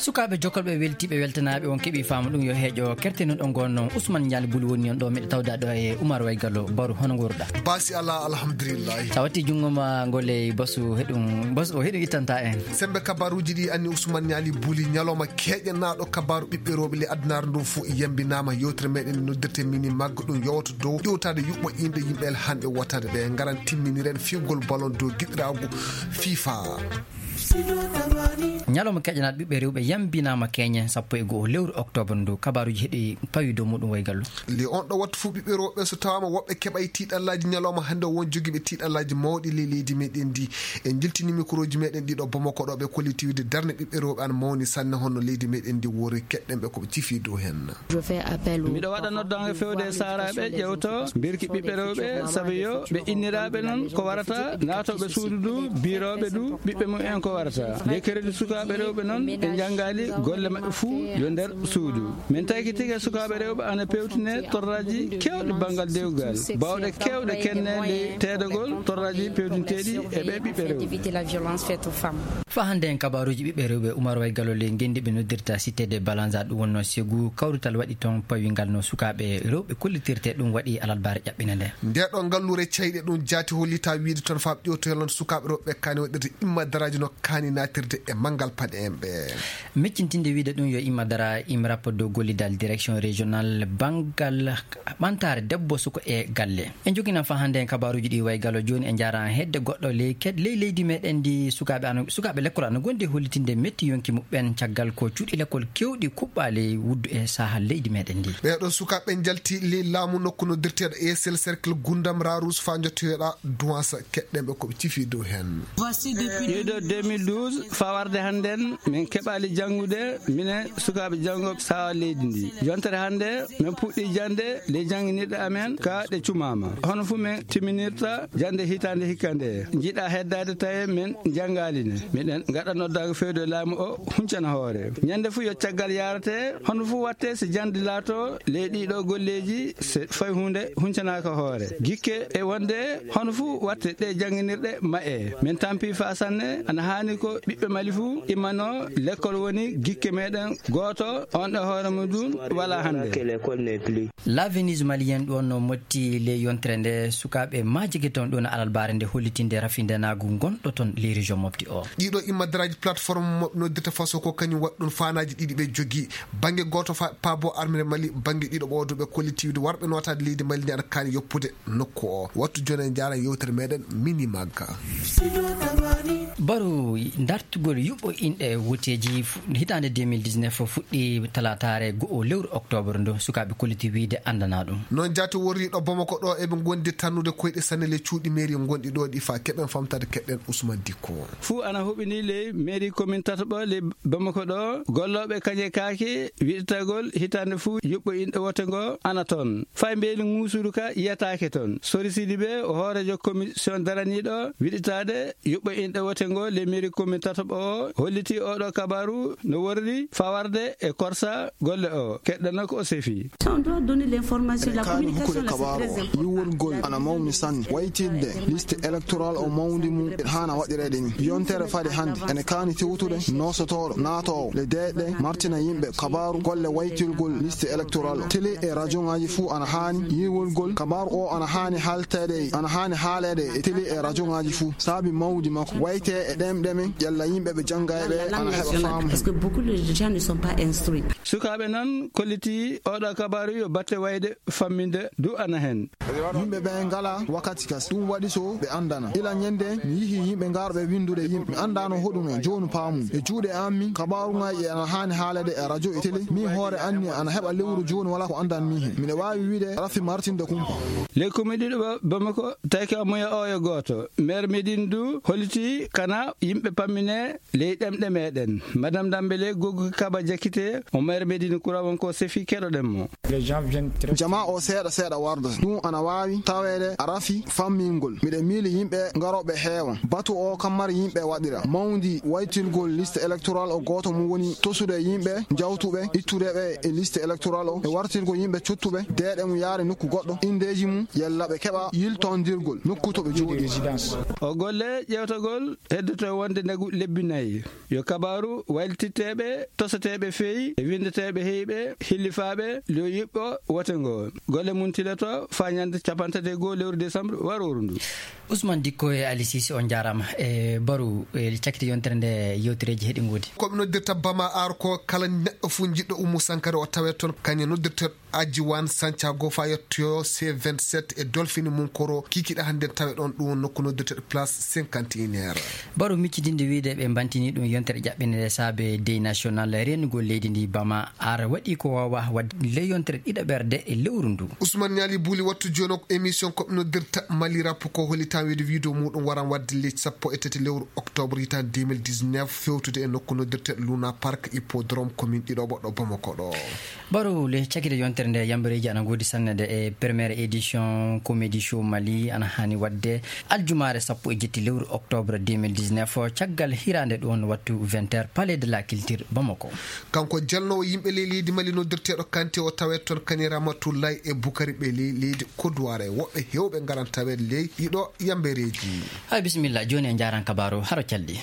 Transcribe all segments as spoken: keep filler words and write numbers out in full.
Sukaaɓe jokkolɓe weltiiɓe weltanaaɓe, on keɓii faamu ɗum yo heeƴo kerte non ɗo ngon non. Ousmane Ndiaye Buli woni on ɗo, miɗo tawda ɗo e Oumar Waygallo. Baro, hono nguurɗa? Baasi alaa, alhamdulillahi. Sa watti junngo ma ngol e basu heɗum, basu o heɗum ittanta en. Sembe kabaruuji ɗi anni Ousmane Ndiaye Buli, ñalawma keeƴanaaɗo kabaaru ɓiɓɓe rewɓe ley addunaare ndu fof yambinaama. Yewtere meɗen noddirte Mini Mag ɗum yowata dow ƴewtaade yuɓɓo inɗe yimɓe hannde wotaade ɓe ngaran timminiren fiyogol ballon dow giɗiraagu FIFA. Ñalawma keƴanaaɗo ɓiɓɓe rewɓe yambinaama keñe sappo e go'o lewru octobre ndu. Kabaaruuji heɗi pawi dow muɗum Waygallo. Le on ɗo wattu fof ɓiɓɓe rewɓe so tawaama woɓɓe keɓay tiiɗallaaji ñalawma hannde, won jogiiɓe tiiɗallaaji mawɗi ley leydi meɗen ndi. En jiltini mikroji meɗen ɗiɗo Bamako ɗo, ɓe kollitiwde darnde ɓiɓɓe rewɓe an mawni sanne honno leydi meɗen ndi wori, keɗɗen ɓe ko ɓe cifi dow hen. Miɗo waɗa noddaange fewde e saaraaɓe ƴewto mbirki ɓiɓɓe rewɓe, sabu yo ɓe inniraaɓe noon ko warata, naatooɓe suudu du, biirooɓe du, ɓiɓɓe mum en ko warata. Nde keredi sukaaɓe rewɓe noon ɓe njanngaali golle maɓɓe fuu yo nder suudu. Min tawki tigi sukaaɓe rewɓe ana pewtine torraaji keewɗi banngal dewgal, baawɗe keewɗe kenne ley teedagol torraaji pewtinteeɗi e ɓe ɓiɓɓe rewɓe. Faa hannde en kabaaruuji ɓiɓɓe rewɓe, Oumar Waygallo ley ngenndi ɓe noddirta Cité de Balanza, ɗum wonnoo Ségou, kawrital waɗi toon pawingal no sukaaɓe rewɓe kollitirte, ɗum waɗi alarbaare ƴaɓɓinde nde. Nde ɗo ngalluure cayɗe ɗum jaati hollitaa wiyde toon faa ƴewtoyal noon sukaaɓe rewɓe kaani waɗirde imma daraaji no kaani naatirde e manngal paɗe en ɓe. Miccintinde wiyde ɗum yo imma dara imrap dow gollidal direction régional banngal ɓantaare debbo suko e galle. En joginaan faa hannde en kabaaruuji ɗi Waygallo. Jooni en njaaraan hedde goɗɗo ley ked-, ley leydi meɗen ndi. Sukaaɓe ano, sukaaɓe lekkol ana ngondi e hollitinde metti yonki muɓɓen caggal ko cuuɗi lekkol kewɗi kuɓɓaali wuddu e saha leydi meɗen ndi. Ɓee ɗoo sukaaɓe njalti ley laamu nokku noddirteeɗo Esel Cercle Gundam Rarous faa njottoyoɗa Duwansa, keɗɗen ɓe ko ɓe cifi dow heen. Ɗiɗo deux mille douze faa warde hannden, min keɓaali janngude, minen sukaaɓe janngooɓe sawa leydi ndi. Yontere hannde, min puɗɗii jannde ley jannginirɗe amen, ka ɗe cumaama. Hono fuu min timminirta jannde hitaande hikka nde. Njiɗaa heddaade tawi min njanngaali ne. Miɗen ngaɗa noddaango fewde laamu o huncana hoore. Ñannde fuu yo caggal yaarate, hono fuu watte si jannde laato ley ɗiɗo golleeji se fay huunde huncanaaka hoore. Gikke e wonde hono fuu watte ɗe jannginirɗe ma'e. Min tampi faa sanne, ana haani ko ɓiɓɓe Mali fuu immanoo lekkol woni gikke meɗen gooto, on e hoore mum ɗum walaa hannde. La Venise malienne ɗum wonno motti ley yontere nde sukaaɓe maajike toon ɗum alarbaare nde hollitinde rafindenaagu ngonɗo toon ley région mofti o. Ɗiɗo immadaraaji plateforme mo noddirta faso ko kañum waɗi ɗum faanaaji ɗiɗi ɓe jogii. Bannge gooto fa-, paabo armere Mali, bannge ɗiɗo ɓoodo ɓe kollitiiwde warɓe nootaade leydi Mali ndi ana kaani yoppude nokku o. Wattu jooni en njaaran yewtere meɗen Mini Magga. Baro dartugol yuɓɓo inɗe woteeji fu-, hitaande deux mille dix-neuf fuɗɗi talaataare go'o lewru octobre ndu, sukaaɓe kolliti wiyde anndana ɗum. Noon jaati worri ɗo Bamako ɗo eɓe ngondi tannude koyɗe sanne le cuuɗi mairie ngonɗi ɗo ɗi fa keɓen famtade keɗen Ousmane Dikko. Fuu ana huɓini ley mairie commune tataɓo ley Bamako ɗo, gollooɓe kañe kaake wiɗitagol hitaande fuu yuɓɓo inɗe wote ngo ana toon. Fay mbeeli ŋuusuru ka yiyataake toon. Sori Sidibe, o hooreejo commission daraniiɗo wiɗitaade yuɓɓo inɗe wote ngo le mairie commune tataɓo o, holliti oɗo kabaru no worri fawarde e korsa golle o. Keɗɗano ko o sefi. On doit donner l'information, la communication, là, c'est très important. Yiwolgol ana mawni sanne. Waytirde liste électorale o mawndi mum ene haana waɗireede ni. Yontere fade hannde ene kaani tewtude noosotooɗo naatoowo le deeƴɗe martina yimɓe kabaru golle waytirgol liste électorale o. Télé e radio ngaji fuu ana haani yiwolgol kabaru o ana haani haalteede e, ana haani haaleede e télé e radio ngaji fuu. Saabi mawdi makko wayte e ɗemɗe men ƴella yimɓe ɓe jannga e ɓe ana heɓa faamu. Parce que beaucoup de gens ne sont pas instruits. Sukaaɓe nan kolliti oɗo kabaru yo batte wayde famminde du ana hen. Yimɓe ɓe ngala wakkati kas, ɗum waɗi so ɓe anndana. Ila ñande mi yihi yimɓe ngarɓe winndude yimɓe. Mi anndano hoɗum en, jooni paamum. E juuɗe am min, kabaaru ngaji ana haani haalede e radio e télé. Min hoore anni ana heɓa lewru jooni wala ko anndan mi hen. Miɗa waawi wiide rafi martinde kumpa. Ley commune ɗiɗo Ba-, Bamako, tawi ko moya oyo gooto. Maire Médine du holliti kana yimɓe pammine ley ɗemɗe meɗen. Madame Dambele Gogo Kaba Jakite, o maire Médine Kura wonko sefi keɗoɗen mo. Jamaa o seeɗa seeɗa warda. Ɗum ana waawi taweede a rafi fammingol. Miɗa miili yimɓe ngarooɓe heewan. Batu o kam mari yimɓe waɗira. Mawndi waytirgol liste électorale o gooto mum woni tosude yimɓe, jawtuɓe, ittude ɓe e liste électorale o, e wartirgol yimɓe cottuɓe, deeɗe mum yaare nokku goɗɗo, indeeji mum, yalla ɓe keɓa yiltondirgol nokku to ɓe jooɗi. O golle ƴeewtagol heddoto wonde ndagu lebbi nayi. Yo kabaaru waylititteeɓe, tosateeɓe feyi, e winndeteeɓe heyɓe, hillifaaɓe, yo yiɓɓo wote ngo. Golle mum tiloto faa ñande capanɗe tati e goo lewru décembre warooru ndu. Ousmane Dikko e Ali Cissé, on njaaraama. E Baru, e cakkite yontere nde, yewtereeji heɗi ngoodi. Ko ɓe noddirta Bama Ar ko kala neɗɗo fof jiɗɗo Oumou Sankara o tawee toon, kañum noddirta Adjiwan Santiago faa yettoyo C vingt-sept e Dolphin Munkoro, kikiɗe hannde tawe ɗoon, ɗum woni nokku noddirteeɗo Place cinquante et un heures. Baro miccitinde wiyde ɓe mbantinii ɗum yontere ƴaɓɓinde nde saabe Deuil National, reenugol leydi ndi Bama Ar waɗi ko waawaa waɗde ley yontere ɗiɗaɓerde e lewru ndu. Ousmane Niali Bouli wattu jooni o ko émission ko ɓe noddirta Mali Rap ko hollitan wiyde video muɗum waran waɗde ley sappo e tati lewru octobre hitaande deux mille dix-neuf, fewtude e nokku noddirteeɗo Luna Park Hippodrome commune Ɗiɗoɓo ɗo Bamako ɗo. Baro le cakite yontere nde yambareeji ana ngoodi sanne de e première édition Comédie Show Mali ana hani waɗde aljumaare sappo e jetti lewru octobre deux mille dix-neuf, caggal hiraande ɗon wattu vingt heures, Palais de la Culture Bamako. Kanko jalnoowo yimɓe ley leydi Mali noddirteeɗo Kanté o tawee toon kani Ramatoulaye e Bukari ɓe ley leydi Kodoware. Woɓɓe heewɓe ngaran tawee ley ɗiɗo yambareeji. Hay bisimilla, jooni en njaaran kabaaru haro calɗi.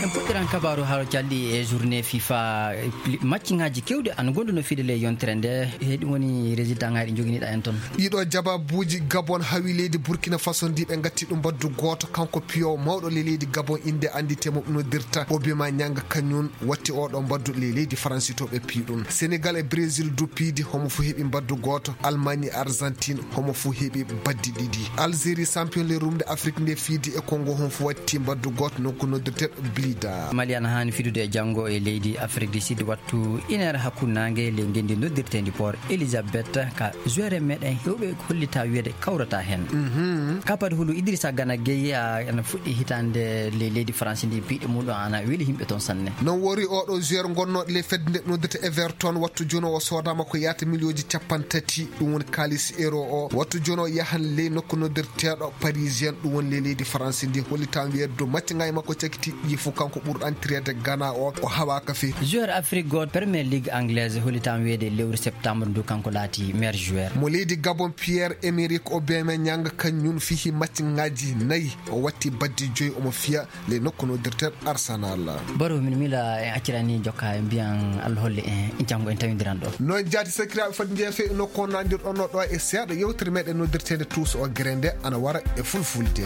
En puɗɗiran kabaaru haro calɗi e journée FIFA, e pli-, matchŋaaji keewɗi ana ngonduno fiide ley yontere nde. He ɗum woni résultat ŋaaji ɗi njoginiɗa en toon. Ɗiɗo jababuuji Gabon hawi leydi Burkina Faso ndi ɓe ngatti ɗum mbaddu gooto. Kanko piyowo mawɗo ley leydi Gabon, innde anndite mo noddirta Obima Ñanga, kañum watti oɗo mbaddu ley leydi Faransi to ɓe piyi ɗum. Senegal e Brésil du piidi, homo fu heɓi mbaddu gooto. Allemagne e Argentine, homo fu heɓi baddi ɗiɗi. Algérie, champion le rumde Afrique nde fiidi e Congo, homo fu watti mbaddu gooto nokku noddirteeɗo Blida. Mali ana haani fidude e janngo e leydi Afrique du Sud wattu une heure hakkunde naange ley ngenndi noddirteendi Port Elizabeth, ka joueur meɗen heewɓe hollita wiyde kawrata heen. Mhm. Kapad hulu Idrissa Gana Gueye, a, ana fuɗɗi hitaande ley leydi France ndi, piiɗe muɗum ana weli yimɓe toon sanne. Noon wori oɗo joueur gonnooɗo ley fedde nde noddirta Everton, wattu jooni o soodaama ko yaata miliyooji capanɗe tati, ɗum woni kaalis euro o. Wattu jooni o yahan ley nokku noddirteeɗo Parisien, ɗum woni ley leydi France ndi, hollita wiyde dow match ngaji makko cakiti ɗi fof kanko ɓurɗo antireede Gana o, o hawaaka fii. Joueur Afrique gooto Premier League anglaise, hollita wiyde lewru septembre ndu kanko laati meilleur joueur. Mo leydi Gabon Pierre-Emerick Aubameyang, kañum fihi match ngaji nayi, o watti baddi joyi, omo fiya ley nokku noddirteeɗo Arsenal. Baro, min mila en accirani jokka, en mbiyan Allah holle en, en janngo en tawindiran ɗo. Noon jaati sakiraaɓe fodde jeefe nokku o nandirɗon ɗo e seeɗa yewtere meɗen noddirteende Tuuso o gere nde ana wara e fulfulde.